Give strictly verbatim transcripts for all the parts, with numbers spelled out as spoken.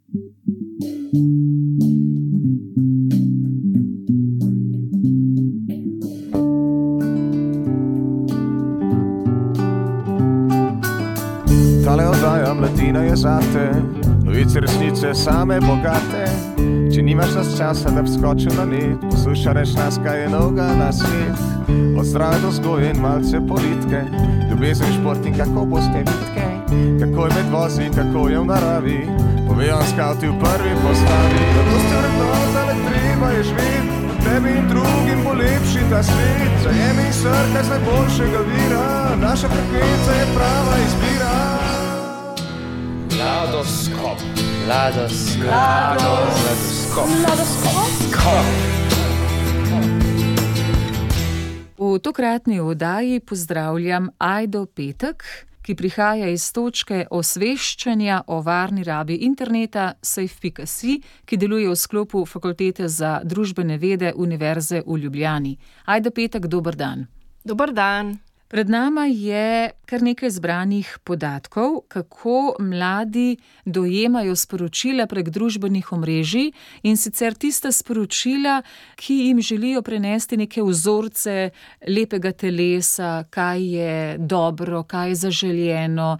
Tale oddaja Mladina je zate, novice resnice same bogate. Če nimaš nas časa, da bi skočil na net, poslušaj reč nas, kaj je novega na svet. Od zdrave do vzgoje in malce politike, ljubezen, šport in kako boste vitke, kako je med vozi, kako je v naravi, povejo skauti v prvi postavi. Zato ste vrednota, le treba je živeti, tebi in drugim bo lepši ta svet. Zajemi in srkaj z najboljšega vira, naša frekvenca je prava izbira. Mladoskop. Mladoskop. Mladoskop. Mladoskop. V tokratni oddaji pozdravljam Ajdo Petek, ki prihaja iz točke osveščanja o varni rabi interneta safe pika si, ki deluje v sklopu Fakultete za družbene vede Univerze v Ljubljani. Ajdo Petek, dober dan. Dober dan. Pred nama je kar nekaj zbranih podatkov, kako mladi dojemajo sporočila prek družbenih omrežij, in sicer tista sporočila, ki jim želijo prenesti neke vzorce lepega telesa, kaj je dobro, kaj je zaželjeno,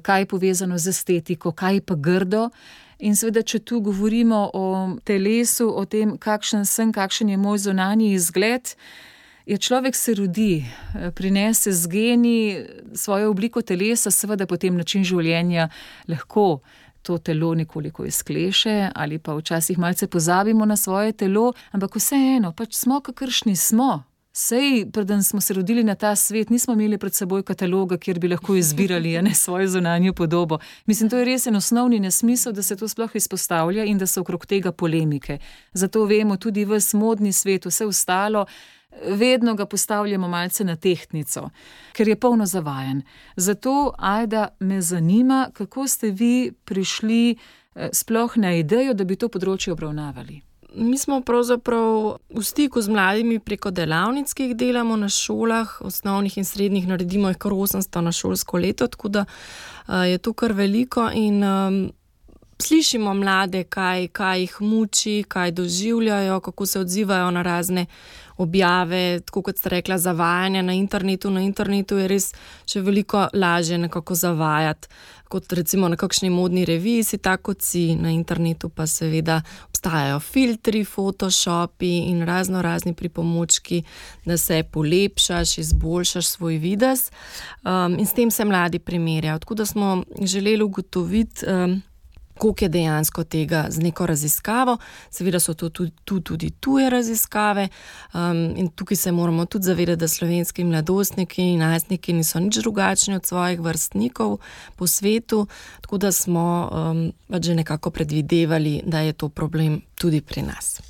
kaj je povezano z estetiko, kaj je pa grdo. In seveda, če tu govorimo o telesu, o tem, kakšen sem, kakšen je moj zunanji izgled, je človek se rodi, prinese z geni svojo obliko telesa, seveda potem način življenja lahko to telo nekoliko izkleše ali pa včasih malce pozabimo na svoje telo, ampak vseeno, pač smo, kakršni smo. Sej, preden smo se rodili na ta svet, nismo imeli pred seboj kataloga, kjer bi lahko izbirali a ne, svojo zunanjo podobo. Mislim, to je res en osnovni nesmisel, da se to sploh izpostavlja in da so okrog tega polemike. Zato vemo, tudi ves modni svet, vse ostalo, vedno ga postavljamo malce na tehtnico, ker je polno zavajanj. Zato, Ajda, me zanima, kako ste vi prišli sploh na idejo, da bi to področje obravnavali. Mi smo pravzaprav v stiku z mladimi preko delavnic, ki jih delamo na šolah, osnovnih in srednjih, naredimo jih kar osemsto na šolsko leto, tako da je to kar veliko in um, slišimo mlade, kaj, kaj jih muči, kaj doživljajo, kako se odzivajo na razne objave, tako kot ste rekla, zavajanja na internetu. Na internetu je res še veliko lažje nekako zavajati, kot recimo na kakšni modni reviji si tako kot si. Na internetu pa seveda obstajajo filtri, photoshopi in razno razni pripomočki, da se polepšaš, izboljšaš svoj videz. Um, in s tem se mladi primerjajo. Tako da smo želeli ugotoviti, um, koliko je dejansko tega z neko raziskavo. Seveda so to tudi, tu tudi tuje raziskave um, in tukaj se moramo tudi zavedati, da slovenski mladostniki in najstniki niso nič drugačni od svojih vrstnikov po svetu, tako da smo um, pač že nekako predvidevali, da je to problem tudi pri nas.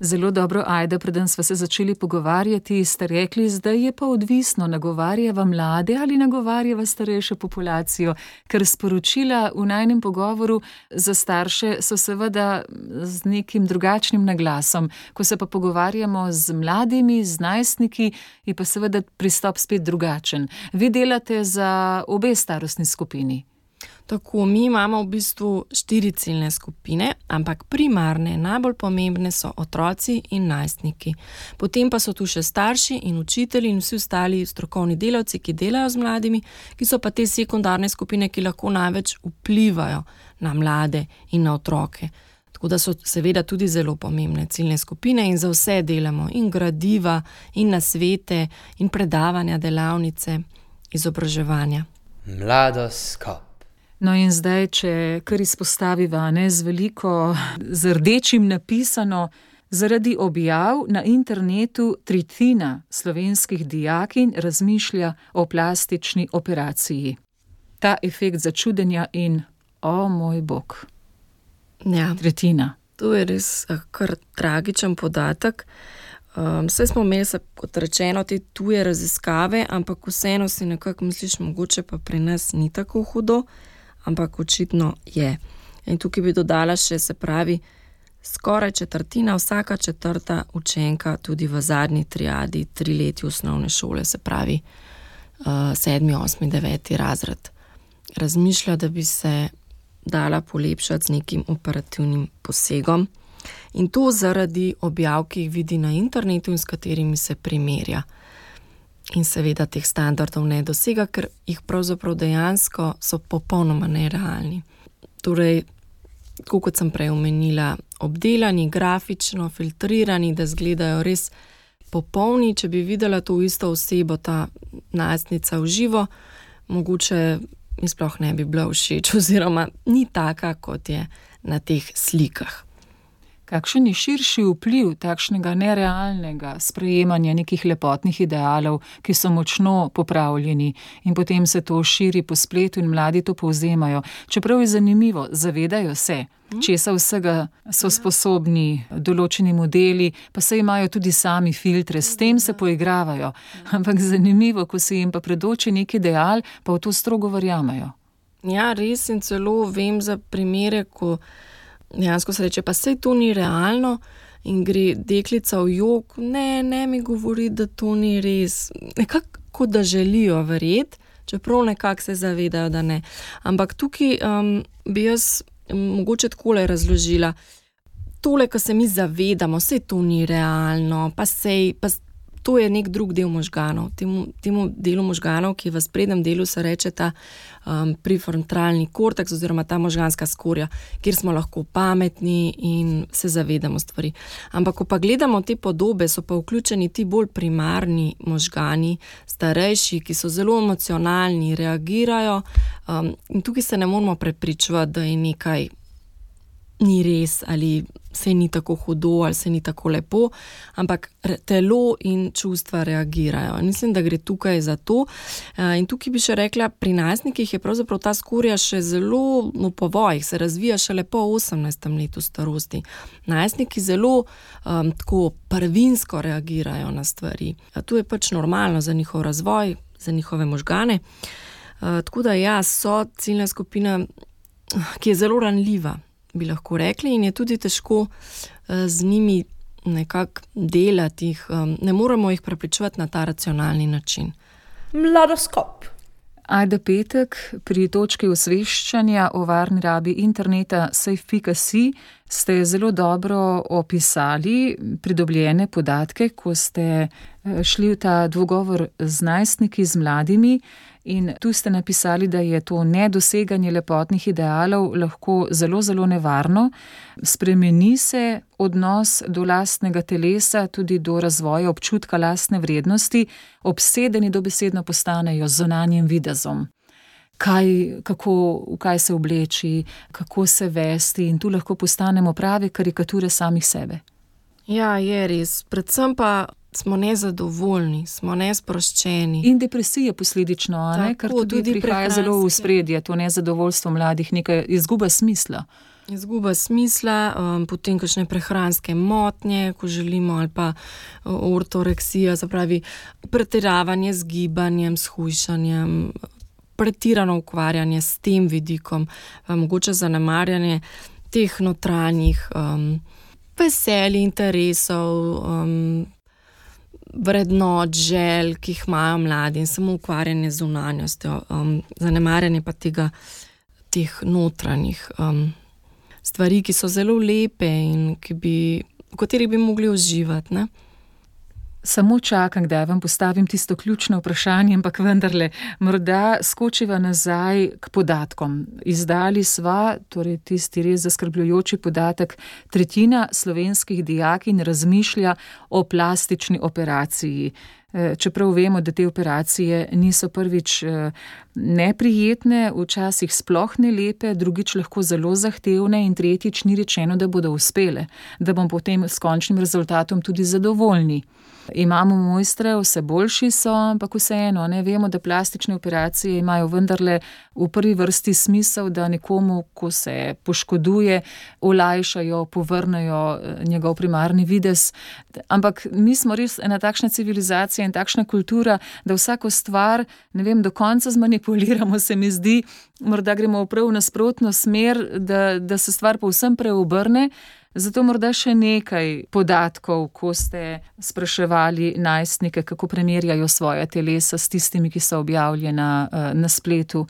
Zelo dobro, Ajda, preden sva se začeli pogovarjati, ste rekli, zdaj je pa odvisno, nagovarjava mlade ali nagovarjava starejšo populacijo, ker sporočila v najnem pogovoru za starše so seveda z nekim drugačnim naglasom. Ko se pa pogovarjamo z mladimi, z najstniki, je pa seveda pristop spet drugačen. Vi delate za obe starostni skupini. Tako, mi imamo v bistvu štiri ciljne skupine, ampak primarne, najbolj pomembne so otroci in najstniki. Potem pa so tu še starši in učitelji in vsi ostali strokovni delavci, ki delajo z mladimi, ki so pa te sekundarne skupine, ki lahko največ vplivajo na mlade in na otroke. Tako da so seveda tudi zelo pomembne ciljne skupine in za vse delamo, in gradiva, in nasvete, in predavanja, delavnice, izobraževanja. Mladoskop. No in zdaj, če kar izpostaviva, ne, z veliko, z rdečim napisano, zaradi objav na internetu tretjina slovenskih dijakinj razmišlja o plastični operaciji. Ta efekt začudenja in, o moj bog, ja, tretjina. To je res kar tragičen podatek. Um, vse smo imeli, kot rečeno, te tuje raziskave, ampak vseeno si nekako misliš, mogoče pa pri nas ni tako hudo, ampak očitno je. In tukaj bi dodala še, se pravi, skoraj četrtina, vsaka četrta učenka tudi v zadnji triadi, tri leti osnovne šole, se pravi uh, sedmi, osmi, deveti razred, razmišlja, da bi se dala polepšati z nekim operativnim posegom. In to zaradi objav, ki jih vidi na internetu in s katerimi se primerja. In seveda teh standardov ne dosega, ker jih pravzaprav dejansko so popolnoma nerealni. Torej, tako kot sem prej omenila, obdelani, grafično, filtrirani, da izgledajo res popolni. Če bi videla to isto osebo, ta najstnica v živo, mogoče mi sploh ne bi bila všeč oziroma ni taka, kot je na teh slikah. Kakšen je širši vpliv takšnega nerealnega sprejemanja nekih lepotnih idealov, ki so močno popravljeni in potem se to širi po spletu in mladi to povzemajo. Čeprav je zanimivo, zavedajo se, česa vsega so sposobni določeni modeli, pa se imajo tudi sami filtre, s tem se poigravajo. Ampak zanimivo, ko se jim pa predoči neki ideal, pa v to strogo verjamejo. Ja, res, in celo vem za primere, ko dejansko se reče, pa sej to ni realno in gre deklica v jok, ne, ne mi govori, da to ni res. Nekako, da želijo verjeti, čeprav nekako se zavedajo, da ne. Ampak tukaj um, bi jaz mogoče takole razložila. Tole, ko se mi zavedamo, sej to ni realno, pa sej, pa to je nek drug del možganov. Temu, temu delu možganov, ki v sprednjem delu se reče ta um, prefrontalni korteks oziroma ta možganska skorja, kjer smo lahko pametni in se zavedamo stvari. Ampak, ko pa gledamo te podobe, so pa vključeni ti bolj primarni možgani, starejši, ki so zelo emocionalni, reagirajo um, in tukaj se ne moramo prepričevati, da je nekaj ni res ali se ni tako hudo ali se ni tako lepo, ampak telo in čustva reagirajo. Mislim, da gre tukaj za to. In tukaj bi še rekla, pri najstnikih je pravzaprav ta skorja še zelo v povojih, se razvija šele po osemnajstem letu starosti. Najstniki zelo um, tako prvinsko reagirajo na stvari. To je pač normalno za njihov razvoj, za njihove možgane. Uh, tako da ja, so ciljna skupina, ki je zelo ranljiva, bi lahko rekli, in je tudi težko z njimi nekako delati, ne moremo jih prepričevati na ta racionalni način. Mladoskop. Ajda Petek, pri točki osveščanja o varni rabi interneta safe pika si ste zelo dobro opisali pridobljene podatke, ko ste šli v ta dvogovor z najstniki, z mladimi, in tu ste napisali, da je to nedoseganje lepotnih idealov lahko zelo, zelo nevarno. Spremeni se odnos do lastnega telesa, tudi do razvoja občutka lastne vrednosti, obsedeni dobesedno postanejo z zunanjim videzom. Kaj, kako, v kaj se obleči, kako se vesti, in tu lahko postanemo prave karikature samih sebe. Ja, je res. Predvsem pa smo nezadovoljni, smo nesproščeni. In depresija posledično, ne? Ker tudi, tudi prihaja zelo v spredje, to nezadovoljstvo mladih, nekaj izguba smisla. Izguba smisla, um, potem kakšne prehranske motnje, ko želimo, ali pa ortoreksija, se pravi pretiravanje z gibanjem, s hujšanjem, pretirano ukvarjanje s tem vidikom, mogoče zanemarjanje teh notranjih um, veselj, interesov, um, vrednot, želj, ki jih imajo mladi, in samo ukvarjanje z zunanjostjo, um, zanemarjanje pa tega, teh notranjih um, stvari, ki so zelo lepe in ki bi, v katerih bi mogli uživati, ne? Samo čakam, kdaj vam postavim tisto ključno vprašanje, ampak vendarle, morda skočiva nazaj k podatkom. Izdali sva, torej tisti res zaskrbljujoči podatek, tretjina slovenskih dijakinj razmišlja o plastični operaciji. Čeprav vemo, da te operacije niso prvič neprijetne, včasih sploh ne lepe, drugič lahko zelo zahtevne in tretjič ni rečeno, da bodo uspele, da bomo potem s končnim rezultatom tudi zadovoljni. Imamo mojstre, vse boljši so, ampak vseeno, ne vemo, da plastične operacije imajo vendarle v prvi vrsti smisel, da nekomu, ko se poškoduje, olajšajo, povrnejo njegov primarni videz. Ampak mi smo res ena takšna civilizacija in takšna kultura, da vsako stvar, ne vem, do konca zmanipuliramo, se mi zdi, morda gremo v prav nasprotno smer, da, da se stvar povsem preobrne. Zato morda še nekaj podatkov, ko ste spraševali najstnike, kako primerjajo svoja telesa s tistimi, ki so objavljena na spletu.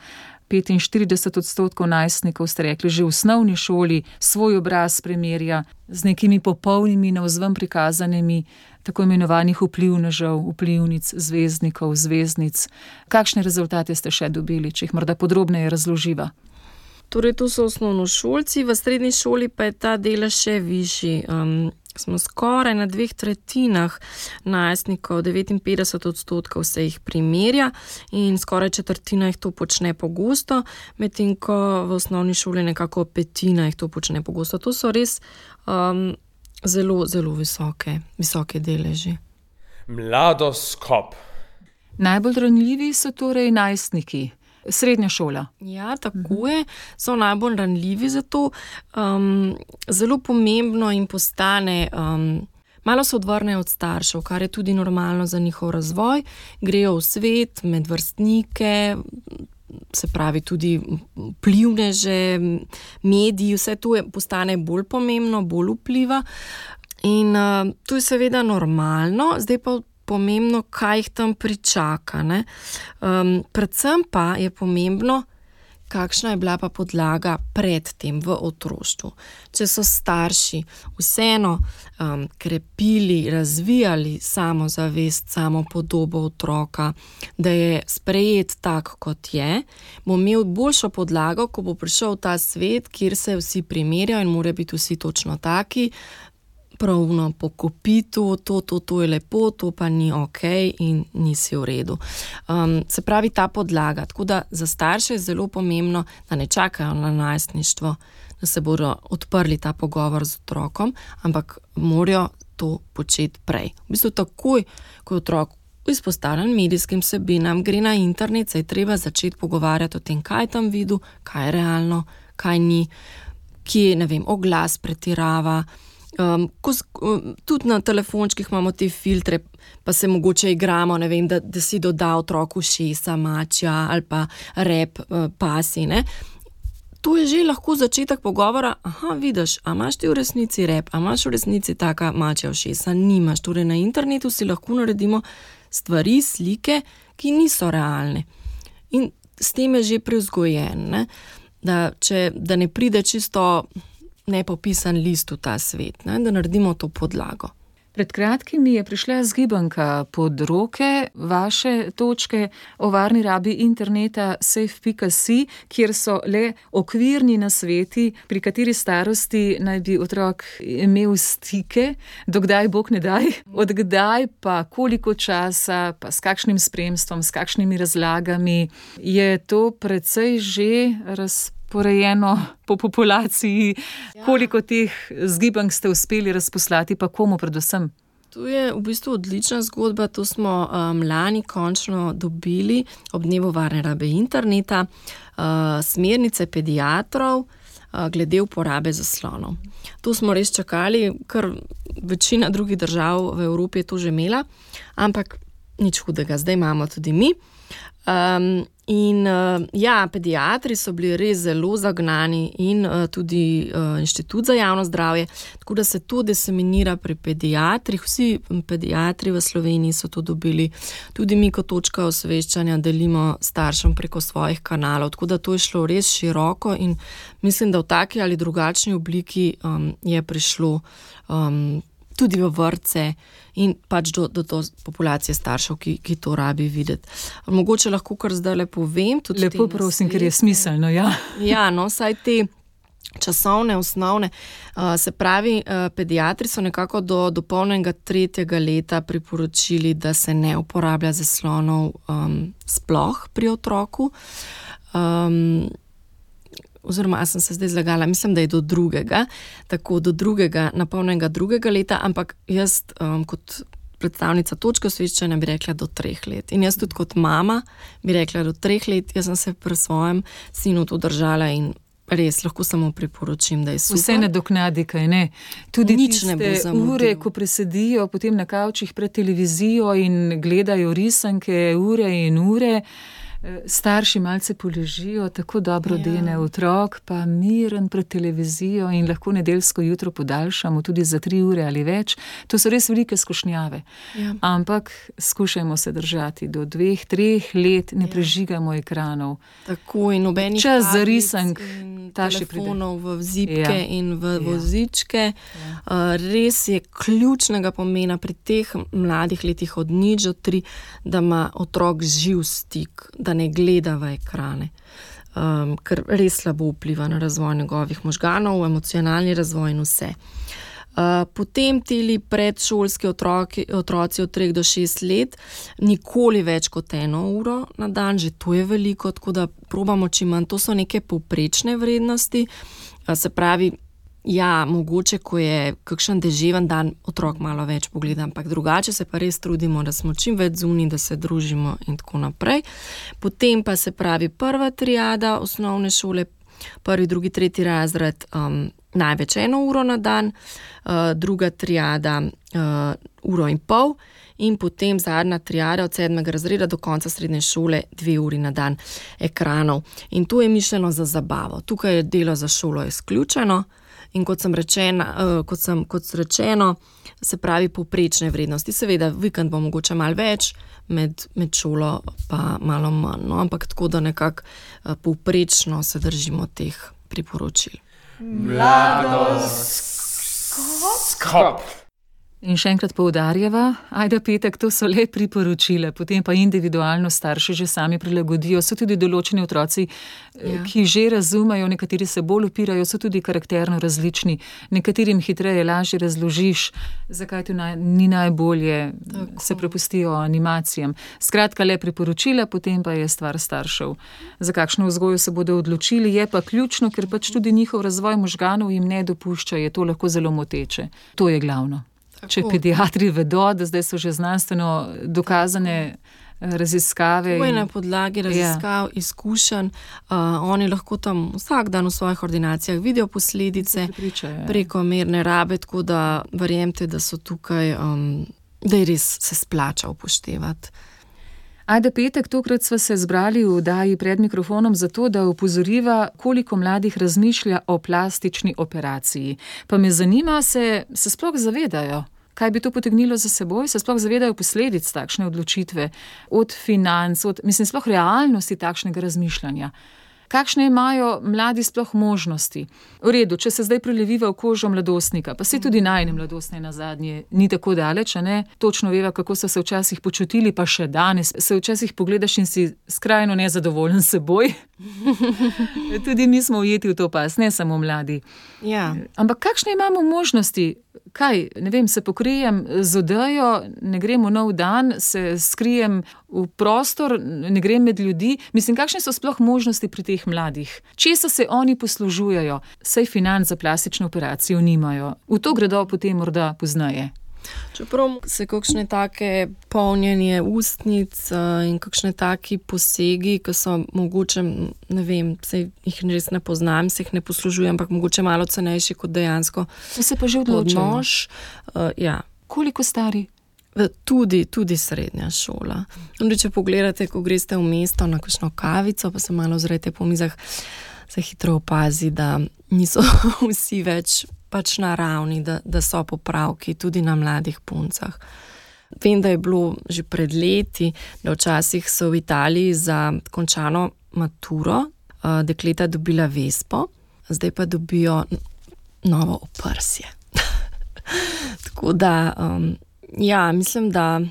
petinštirideset odstotkov najstnikov, ste rekli, že v osnovni šoli svoj obraz primerja z nekimi popolnimi navzven prikazanimi tako imenovanih vplivnežev, vplivnic, zvezdnikov, zvezdnic. Kakšne rezultate ste še dobili, če jih morda podrobneje razloživa? Torej, to so osnovnošolci, v srednji šoli pa je ta delež še višji. Um, smo skoraj na dveh tretjinah najstnikov, devetinpetdeset odstotkov se jih primerja in skoraj četrtina jih to počne pogosto, medtem ko v osnovni šoli nekako petina jih to počne pogosto. To so res um, zelo, zelo visoke, visoke deleži. Mladoskop. Najbolj ranljivi so torej najstniki. Srednja šola. Ja, tako je. So najbolj ranljivi za to. Um, zelo pomembno jim postane, um, malo se odvrnejo od staršev, kar je tudi normalno za njihov razvoj. Grejo v svet, med vrstnike, se pravi tudi vplivneže, mediji, vse to je, postane bolj pomembno, bolj vpliva. In uh, to je seveda normalno, zdaj pa pomembno, kaj jih tam pričaka. Ne? Um, predvsem pa je pomembno, kakšna je bila pa podlaga pred tem v otroštvu. Če so starši vseeno um, krepili, razvijali samozavest, samopodobo otroka, da je sprejet tak, kot je, bo imel boljšo podlago, ko bo prišel v ta svet, kjer se vsi primerjajo in mora biti vsi točno taki, pravno po kopitu, to, to, to je lepo, to pa ni ok in nisi v redu. Um, se pravi ta podlaga. Tako da za starše je zelo pomembno, da ne čakajo na najstništvo, da se bodo odprli ta pogovor z otrokom, ampak morajo to početi prej. V bistvu takoj, ko je otrok izpostavljen medijskim vsebinam, gre na internet, se je treba začeti pogovarjati o tem, kaj tam videl, kaj je realno, kaj ni, kje, ne vem, oglas pretirava. Um, ko, tudi na telefončkih imamo te filtre, pa se mogoče igramo, ne vem, da, da si doda otroku šesa, mačja ali pa rep, uh, pasi, ne. To je že lahko začetek pogovora, aha, vidiš, a imaš ti v resnici rep, a imaš v resnici taka mačja šesa, nimaš. Torej na internetu si lahko naredimo stvari, slike, ki niso realne. In s tem je že prevzgojen, ne, da, če, da ne pride čisto nepopisan list v ta svet, ne? Da naredimo to podlago. Pred kratkim mi je prišla zgibanka pod roke vaše točke o varni rabi interneta safe pika si, kjer so le okvirni nasveti, pri kateri starosti naj bi otrok imel stike, dokdaj bog ne daj, odkdaj pa koliko časa, pa s kakšnim spremstvom, s kakšnimi razlagami. Je to precej že razpravljeno porejeno po populaciji, ja. Koliko teh zgibank ste uspeli razposlati, pa komu predvsem? To je v bistvu odlična zgodba, to smo um, lani končno dobili ob dnevu varne rabe interneta, uh, smernice pediatrov uh, glede uporabe zaslonov. To smo res čakali, ker večina drugih držav v Evropi je to že imela, ampak nič hudega, zdaj imamo tudi mi. Um, in uh, ja, pediatri so bili res zelo zagnani in uh, tudi uh, Inštitut za javno zdravje, tako da se to diseminira pri pediatrih. Vsi pediatri v Sloveniji so to dobili, tudi mi kot točka osveščanja delimo staršem preko svojih kanalov, tako da to je šlo res široko in mislim, da v taki ali drugačni obliki um, je prišlo um, tudi v vrtce in pač do, do, do populacije staršev, ki, ki to rabi videti. Mogoče lahko kar zdaj le povem. Lepo prosim, ker je smiselno, ja. Ja, no, saj te časovne, osnovne, uh, se pravi, uh, pediatri so nekako do dopolnjenega tretjega leta priporočili, da se ne uporablja zaslonov um, sploh pri otroku. Um, oziroma, a sem se zdaj zlagala, mislim, da je do drugega, tako do drugega, napolnjenega drugega leta, ampak jaz um, kot predstavnica točke osveščanja bi rekla do treh let. In jaz tudi kot mama bi rekla do treh let, jaz sem se pri svojem sinu to držala in res lahko samo priporočim, da je super. Vse nadoknadi, kaj ne? Tudi nič tiste ne bo zamudil. Ure, ko presedijo potem na kavčih pred televizijo in gledajo risanke ure in ure, Starši malce poležijo, tako dobro Ja. dene otrok, pa miren pred televizijo in lahko nedeljsko jutro podaljšamo tudi za tri ure ali več. To so res velike skušnjave. Ja. Ampak skušajmo se držati do dveh, treh let, ne Ja. prežigamo ekranov. Tako in nobenih Čas za tablic risank, in ta še pride. telefonov v zipke Ja. in v Ja. vozičke. Uh, res je ključnega pomena pri teh mladih letih od nič do tri, da ima otrok živ stik, da ne gleda v ekrane. Um, ker res slabo vpliva na razvoj njegovih možganov, emocionalni razvoj in vse. Uh, potem tili predšolski otroki, otroci od treh do šest let, nikoli več kot eno uro na dan, že to je veliko, tako da probamo čim manj. To so neke povprečne vrednosti, uh, se pravi, ja, mogoče, ko je kakšen deževen dan, otrok malo več pogleda, ampak drugače se pa res trudimo, da smo čim več zunaj, da se družimo in tako naprej. Potem pa se pravi prva triada osnovne šole, prvi, drugi, tretji razred, um, največ eno uro na dan, uh, druga triada uh, uro in pol in potem zadnja triada od sedmega razreda do konca srednje šole dve uri na dan ekranov. In to je mišljeno za zabavo. Tukaj je delo za šolo izključeno in kot sem rečena, uh, kot sem, kot rečeno, se pravi povprečne vrednosti. Seveda, vikend bo mogoče malo več, med, med šolo pa malo manj, no? Ampak tako, da nekako uh, povprečno se držimo teh priporočil. Mladoskop. In še enkrat poudarjava, ajde Petek, to so le priporočila, potem pa individualno starši že sami prilagodijo. So tudi določeni otroci, Ja. ki že razumejo, nekateri se bolj upirajo, so tudi karakterno različni. Nekaterim hitreje, lažje razložiš, zakaj to naj, ni najbolje, Tako. se prepustijo animacijam. Skratka, le priporočila, potem pa je stvar staršev. Za kakšno vzgojo se bodo odločili, je pa ključno, ker pač tudi njihov razvoj možganov jim ne dopušča, je to lahko zelo moteče. To je glavno. Če Tako. pediatri vedo, da zdaj so že znanstveno dokazane raziskave. To je in- na podlagi raziskav, izkušenj. Uh, oni lahko tam vsak dan v svojih ordinacijah vidijo posledice Prepričajo. prekomerne rabe, tako da verjemite, da so tukaj, um, da je res se splača upoštevati. Ajde Petek, tokrat sva se zbrali v oddaji pred mikrofonom zato, da opozoriva, koliko mladih razmišlja o plastični operaciji. Pa me zanima, se, se sploh zavedajo, kaj bi to potegnilo za seboj, se sploh zavedajo posledic takšne odločitve, od financ, od, mislim, sploh realnosti takšnega razmišljanja. Kakšne imajo mladi sploh možnosti? V redu, če se zdaj preleviva v kožo mladostnika, pa se tudi najne mladostne nazadnje ni tako daleč, a ne? Točno veva, kako so se včasih počutili, pa še danes se včasih pogledaš in si skrajno nezadovoljen s seboj. Tudi mi smo ujeti v to pas, ne samo mladi. Ja. Ampak kakšne imamo možnosti? Kaj, ne vem, se pokrijem z odejo, ne grem v nov dan, se skrijem v prostor, ne grem med ljudi. Mislim, kakšne so sploh možnosti pri teh mladih? Česa se oni poslužujejo? Saj financ za plastično operacijo nimajo. V to gredo potem morda pozneje. Čeprav se kakšne take polnjenje ustnic uh, in kakšne taki posegi, ki so mogoče, ne vem, se jih res ne poznam, se jih ne poslužujem, ampak mogoče malo cenejši kot dejansko Se pa že odločajo. odnož. Uh, ja. Koliko stari? Tudi, tudi srednja šola. Tudi če pogledate, ko greste v mesto na kakšno kavico, pa se malo ozrete po mizah, se hitro opazi, da niso vsi več pač na ravni, da, da so popravki tudi na mladih puncah. Vem, da je bilo že pred leti, da včasih so v Italiji za končano maturo uh, dekleta dobila vespo, zdaj pa dobijo novo oprsje. Tako da, um, ja, mislim, da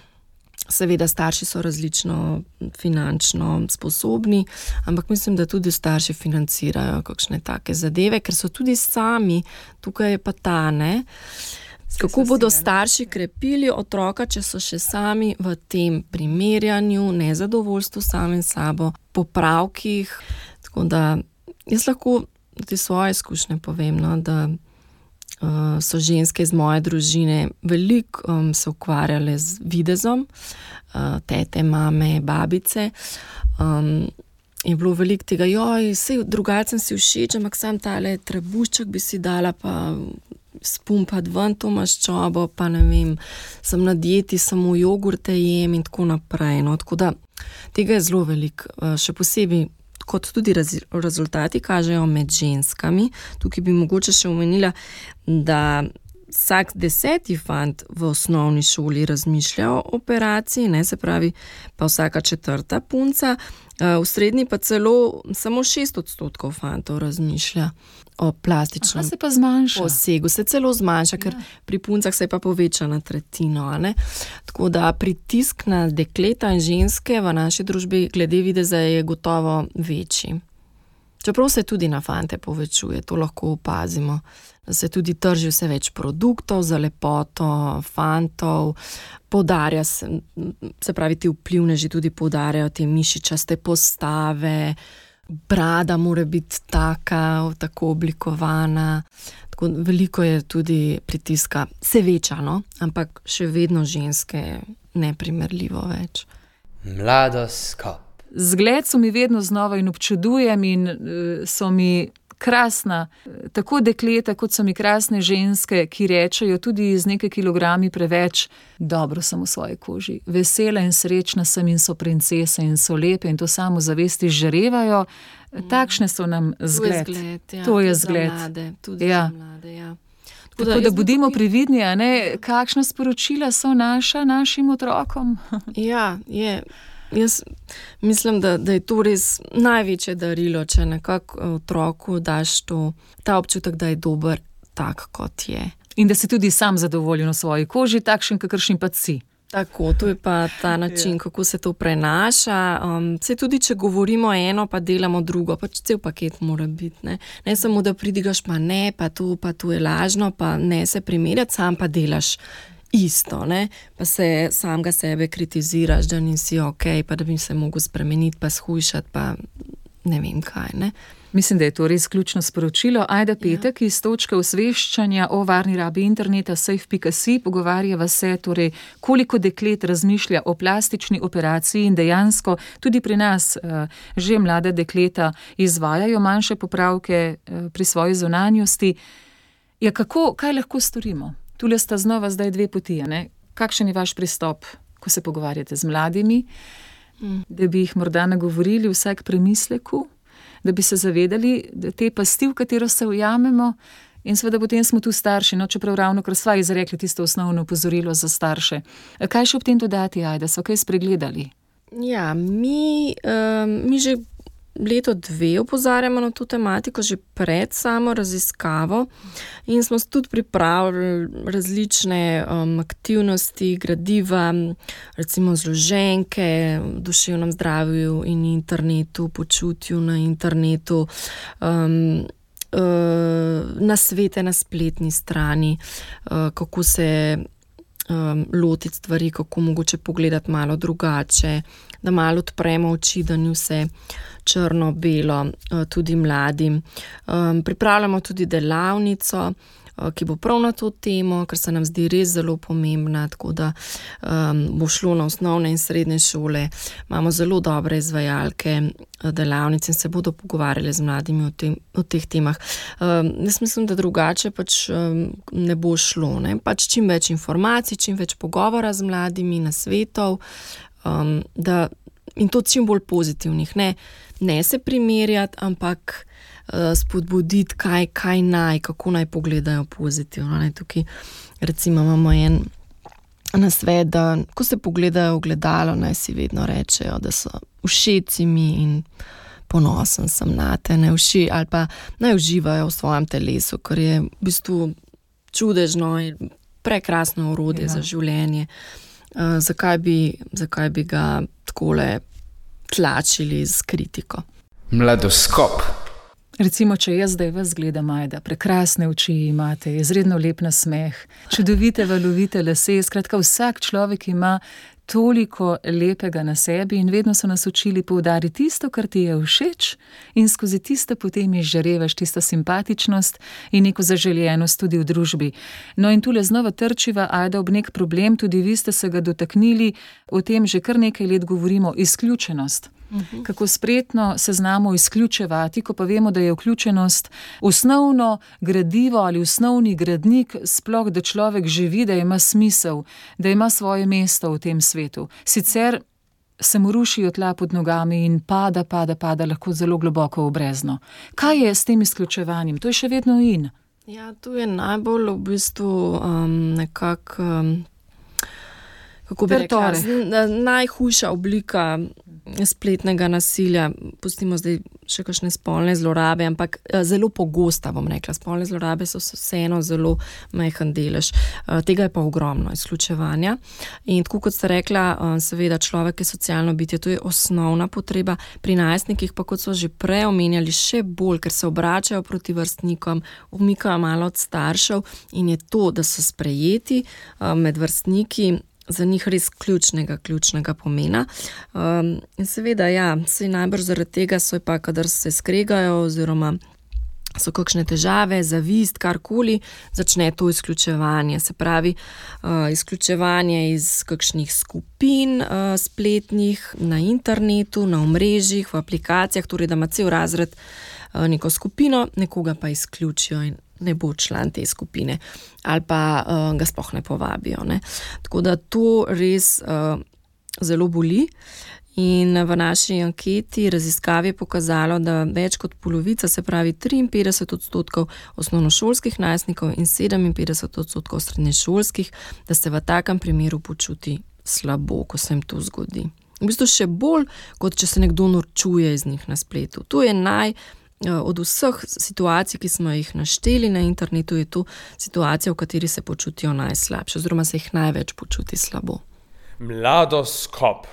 seveda starši so različno finančno sposobni, ampak mislim, da tudi starši financirajo kakšne take zadeve, ker so tudi sami, tukaj je pa ta, ne, kako bodo starši krepili otroka, če so še sami v tem primerjanju, nezadovoljstvu samim sabo, popravkih. Tako da jaz lahko tudi svoje izkušnje povem, no, da Uh, so ženske iz moje družine veliko um, se ukvarjale z videzom, uh, tete, mame, babice. Um, je bilo veliko tega, joj, sej drugače sem si všeč, ampak sam tale trebušček bi si dala, pa spumpati ven to maščobo, pa ne vem, sem na dieti, samo jogurte jem in tako naprej. No, tako da tega je zelo veliko, še posebej, kot tudi raz, rezultati kažejo med ženskami. Tukaj bi mogoče še omenila, da vsak deseti fant v osnovni šoli razmišlja o operaciji, ne, se pravi pa vsaka četrta punca, v srednji pa celo samo šest odstotkov fantov razmišlja o plastičnem Aha, se pa zmanjša. posegu. Se celo zmanjša, ker ja. Pri puncah se pa poveča na tretjino. Ne? Tako da pritisk na dekleta in ženske v naši družbi glede videza je gotovo večji. Čeprav se tudi na fante povečuje, to lahko opazimo. Da se tudi trži vse več produktov za lepoto fantov, poudarja se, se pravi, ti vplivneži tudi poudarjajo te mišičaste postave, brada mora biti taka, tako oblikovana. Tako veliko je tudi pritiska, se veča, no? Ampak še vedno ženske neprimerljivo več. Mladoskop. Zgled so mi vedno znova in občudujem in so mi krasna, tako dekleta, kot so mi krasne ženske, ki rečejo tudi z nekaj kilogrami preveč, dobro sem v svoji koži, vesela in srečna sem in so princese in so lepe in to samo zavesti žarevajo. Mm. Takšne so nam zgled. To je zgled, ja. To je zgled. Za mlade, tudi ja. za mlade, ja. Tako da, da, da bodimo tukaj previdni, a ne, kakšna sporočila so naša našim otrokom. Ja, je. Jaz mislim, da, da je to res največje darilo, če nekako otroku daš to, ta občutek, da je dober tak, kot je. In da si tudi sam zadovoljen v svoji koži, takšen, kakršen pa si. Tako, to je pa ta način, kako se to prenaša. Um, se tudi, če govorimo eno, pa delamo drugo, pač cel paket mora biti. Ne, ne samo, da pridigaš, pa ne, pa to, pa to je lažno, pa ne se primerjati, sam pa delaš isto, ne? Pa se samega sebe kritiziraš, da nisi ok, pa da bi se mogel spremeniti, pa shujšati, pa ne vem kaj, ne? Mislim, da je to res ključno sporočilo. Ajda Petek ja. Iz točke osveščanja o varni rabi interneta safe pika si pogovarjava se, torej, koliko deklet razmišlja o plastični operaciji in dejansko tudi pri nas uh, že mlade dekleta izvajajo manjše popravke uh, pri svoji zunanjosti. Ja, kako, kaj lahko storimo? Tule sta znova zdaj dve poti, ne? Kakšen je vaš pristop, ko se pogovarjate z mladimi, mm. da bi jih morda nagovorili vsaj k premisleku, da bi se zavedali, da te pasti, v katero se ujamemo, in seveda potem smo tu starši, no, čeprav ravno kar sva izrekli tisto osnovno opozorilo za starše. Kaj še ob tem dodati, Ajda, so kaj spregledali? Ja, mi, um, mi že leto dve opozarjamo na to tematiko, že pred samo raziskavo in smo tudi pripravili različne um, aktivnosti, gradiva, recimo zloženke v duševnem zdravju in internetu, počutju na internetu, um, uh, nasvete na spletni strani, uh, kako se um, lotiti stvari, kako mogoče pogledati malo drugače, da malo odpremo oči, da ni vse črno-belo, tudi mladim. Um, pripravljamo tudi delavnico, ki bo prav na to temo, ker se nam zdi res zelo pomembna, tako da um, bo šlo na osnovne in srednje šole. Imamo zelo dobre izvajalke delavnic in se bodo pogovarjali z mladimi o, tem, o teh temah. Um, jaz mislim, da drugače pač um, ne bo šlo. Ne? Pač čim več informacij, čim več pogovora z mladimi, nasvetov, um, da in to čim bolj pozitivnih. Ne, ne se primerjati, ampak uh, spodbuditi, kaj, kaj naj, kako naj pogledajo pozitivno. Ne, tukaj recimo imamo en nasvet, da ko se pogledajo v gledalo, naj si vedno rečejo, da so všeci mi in ponosen sem na te, ne vši, ali pa naj uživajo v svojem telesu, ker je v bistvu čudežno in prekrasno orodje ja. Za življenje. Uh, zakaj bi, zakaj bi ga takole tlačili z kritiko? Mladoskop. Recimo, če jaz zdaj vas gledam, Ajda, prekrasne oči imate, izredno lep nasmeh, čudovite valovite lase, skratka vsak človek ima toliko lepega na sebi in vedno so nas učili poudariti tisto, kar ti je všeč in skozi tisto potem izžarevaš tisto simpatičnost in neko zaželjenost tudi v družbi. No in tule znova trčiva, Ajda, ob nek problem, tudi vi ste se ga dotaknili, o tem že kar nekaj let govorimo, izključenost. Uh-huh. Kako spretno se znamo izključevati, ko pa vemo, da je vključenost osnovno gradivo ali osnovni gradnik, sploh da človek živi, da ima smisel, da ima svoje mesto v tem svetu. Sicer se mu rušijo tla pod nogami in pada, pada, pada lahko zelo globoko v brezno. Kaj je s tem izključevanjem? To je še vedno in. Ja, to je najbolj v bistvu um, nekako, um, kako bi rekla, najhujša oblika spletnega nasilja. Pustimo zdaj še kakšne spolne zlorabe, ampak zelo pogosta, bom rekla. Spolne zlorabe so vseeno zelo majhen delež. Tega je pa ogromno izključevanja. In tako kot ste rekla, seveda človek je socialno bitje, to je osnovna potreba. Pri najstnikih pa, kot so že prej omenjali, še bolj, ker se obračajo proti vrstnikom, umikajo malo od staršev in je to, da so sprejeti med vrstniki, za njih res ključnega, ključnega pomena. Um, in seveda, ja, saj najbrž zaradi tega so pa, kadar se skregajo oziroma so kakšne težave, zavist, karkoli, začne to izključevanje. Se pravi, uh, izključevanje iz kakšnih skupin uh, spletnih, na internetu, na omrežjih, v aplikacijah, torej da ima cel razred uh, neko skupino, nekoga pa izključijo in ne bo član te skupine ali pa uh, ga sploh ne povabijo. Ne. Tako da to res uh, zelo boli in v naši anketi raziskavi je pokazalo, da več kot polovica, se pravi triinpetdeset odstotkov osnovnošolskih najstnikov in sedeminpetdeset odstotkov srednješolskih, da se v takem primeru počuti slabo, ko se jim to zgodi. V bistvu še bolj, kot če se nekdo norčuje iz njih na spletu. To je naj Od vseh situacij, ki smo jih našteli na internetu, je to situacija, v kateri se počutijo najslabše, oziroma se jih največ počuti slabo. Mladoskop.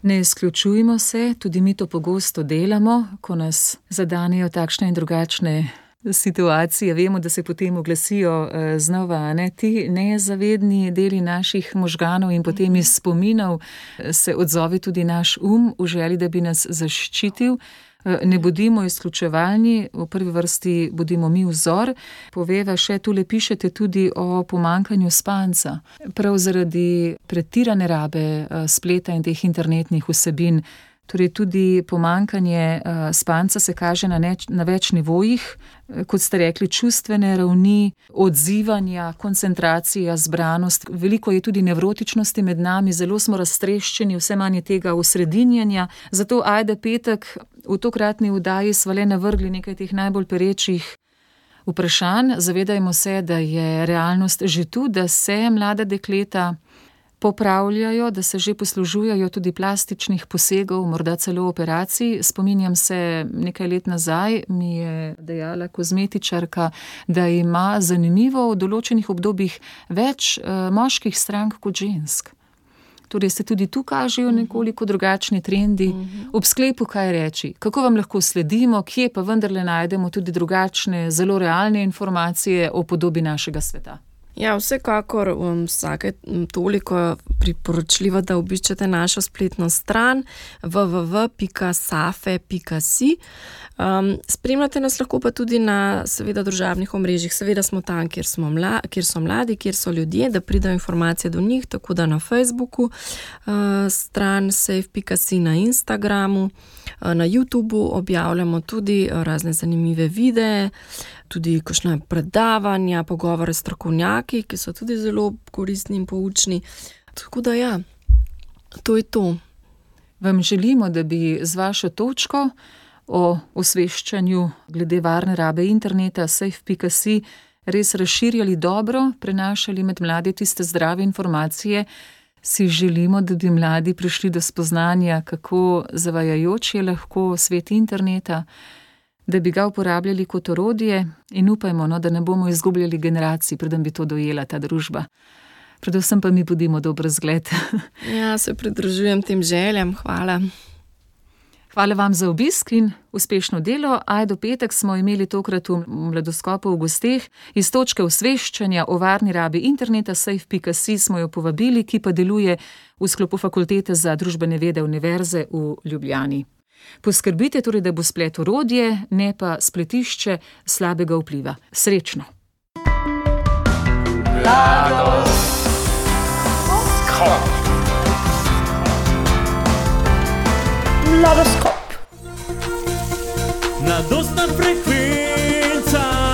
Ne izključujmo se, tudi mi to pogosto delamo, ko nas zadanejo takšne in drugačne situacije. Vemo, da se potem oglasijo znova, ne, ti nezavedni deli naših možganov in potem iz spominov se odzove tudi naš um v želji, da bi nas zaščitil. Ne bodimo izključevalni, v prvi vrsti bodimo mi vzor. Poveva še, tule pišete tudi o pomanjkanju spanca. Prav zaradi pretirane rabe spleta in teh internetnih vsebin. Torej tudi pomanjkanje spanca se kaže na, neč, na več nivojih, kot ste rekli, čustvene ravni, odzivanja, koncentracija, zbranost. Veliko je tudi nevrotičnosti med nami, zelo smo raztreščeni, vse manj je tega osredinjenja. Zato ajde petek v tokratni oddaji sva le navrgli nekaj teh najbolj perečih vprašanj. Zavedajmo se, da je realnost že tu, da se mlada dekleta popravljajo, da se že poslužujejo tudi plastičnih posegov, morda celo operacij. Spominjam se, nekaj let nazaj mi je dejala kozmetičarka, da ima zanimivo v določenih obdobjih več uh, moških strank kot žensk. Torej se tudi tu kažejo nekoliko drugačni trendi. Ob sklepu kaj reči? Kako vam lahko sledimo? Kje pa vendarle najdemo tudi drugačne, zelo realne informacije o podobi našega sveta? Ja, vsekakor um, vsake toliko priporočljivo, da obiščete našo spletno stran w w w pika safe pika si. Um, spremljate nas lahko pa tudi na seveda družabnih omrežjih. Seveda smo tam, kjer, smo mla, kjer so mladi, kjer so ljudje, da pridajo informacije do njih, tako da na Facebooku, uh, stran safe pika si, na Instagramu, uh, na YouTubu objavljamo tudi uh, razne zanimive videe, tudi kakšne predavanja, pogovore s strokovnjaki, ki so tudi zelo koristni in poučni. Tako da ja, to je to. Vam želimo, da bi z vašo točko o osveščanju glede varne rabe interneta safe pika si res razširjali dobro, prenašali med mlade tiste zdrave informacije. Si želimo, da bi mladi prišli do spoznanja, kako zavajajoč je lahko svet interneta, da bi ga uporabljali kot orodje in upajmo, no, da ne bomo izgubljali generacij, preden bi to dojela ta družba. Predvsem pa mi bodimo dober zgled. Ja, se pridružujem tem željam. Hvala. Hvala vam za obisk in uspešno delo. Ajdo petek smo imeli tokrat v Mladoskopu v gosteh. Iz točke osveščanja o varni rabi interneta safe pika si smo jo povabili, ki pa deluje v sklopu Fakultete za družbene vede Univerze v Ljubljani. Poskrbite torej, da bo splet orodje, ne pa spletišče slabega vpliva. Srečno! Mladoskop. Mladostna frekvenca.